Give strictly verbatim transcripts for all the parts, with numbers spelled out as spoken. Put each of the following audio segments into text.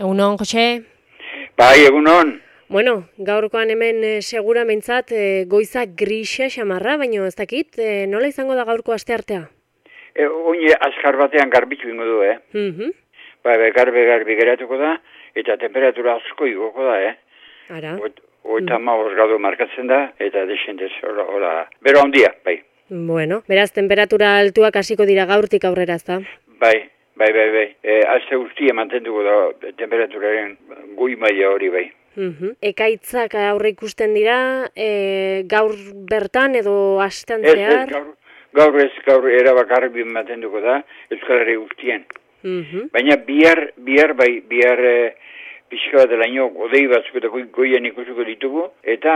Egunon, Jose? Bai, egunon. Bueno, gaurkoan hemen e, segura mentzat e, goiza grisa xamarra, baina ez dakit, e, nola izango da gaurko asteartea? E, Oine azkar batean garbitu ingo du, eh? Mhm. Bai, bai, garbi garbi geratuko da, eta temperatura asko igoko da, eh? Ara. Oita mm. maoz gradu markatzen da, eta desendez, hola, hola, bero handia, bai. Bueno, beraz, temperatura altuak hasiko dira gaurtik aurrera, ezta? Bai, bai, bai, bai. E, Aste guztia mantenduko da temperaturaren goi maila hori, bai. Mhm. Ekaitzak aurre ikusten dira, e, gaur bertan edo astean Ez, ez, zehar? gaur, gaur ez, gaur erabakarri mantenduko da, Euskal Herri guztien. Mhm. Baina bihar, bihar bai, bihar e, pixka bat delaino odei batzuk eta goi, goien ikusuko ditugu, eta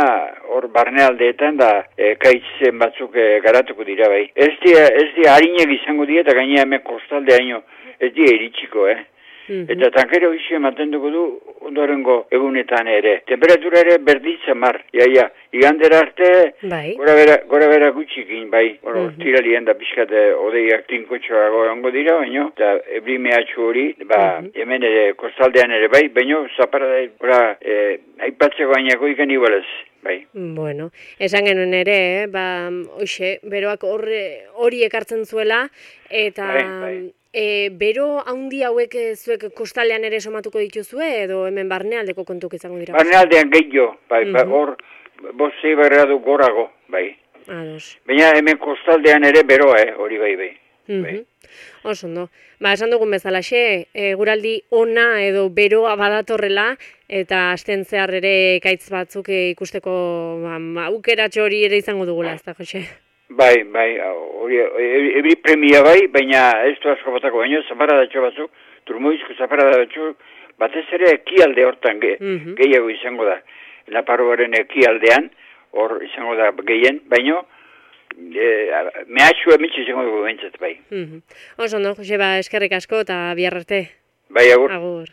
hor barnealdeetan da e, kaitzen batzuk e, garatuko dira bai. Ez dia, ez dia harinek izango dira, eta gainea hemen kostalde haino ez dia iritsiko, eh? Mhm. Eta tankero ixe mantenduko du ondorengo egunetan ere. Temperatura ere berditza mar, iaia, igandera arte Bai. gora bera, gora bera gutxikin, bai. Bueno, Mhm. tiralien da pixkat odeiak tinkotxoago egongo dira, baino, eta ebri mehatxu hori, ba, Mhm. hemen ere, kostaldean ere, bai, baino, zapara da, gora, e, aipatzeko bainako ikan igualez, bai. Bueno, esan genuen ere, eh? Ba, hoxe, beroak horre- hori ekartzen zuela, eta Bai, bai. e, bero haundi hauek e, zuek kostaldean ere somatuko dituzue, edo hemen barnealdeko kontuk izango dira? Barnealdean gehiago, bai, ba, Mhm. hor, bostei barradu gorago, bai. Ados. Baina hemen kostaldean ere beroa, eh, hori bai, bai. bai. Mhm. Oso ondo. Ba, esan dugun bezalaxe, eguraldi ona edo beroa badatorrela, eta asten zehar ere ekaitz batzuk e, ikusteko ba, aukeratxo hori ere izango dugula, ez da, Jose? Bai, bai, hori, ebri premia bai, baina ez du asko batako, baina zaparadatxo batzuk, turmoizko zaparadatxo, batez ere ekialde hortan ge, Mhm. gehiago izango da. Naparroaren ekialdean, hor izango da gehien, baina e, mehatxu emitxe izango dugu behintzat bai. Mhm. Oso ondo, Jose, ba, eskerrik asko eta bihar arte. Bai, agur. Agur.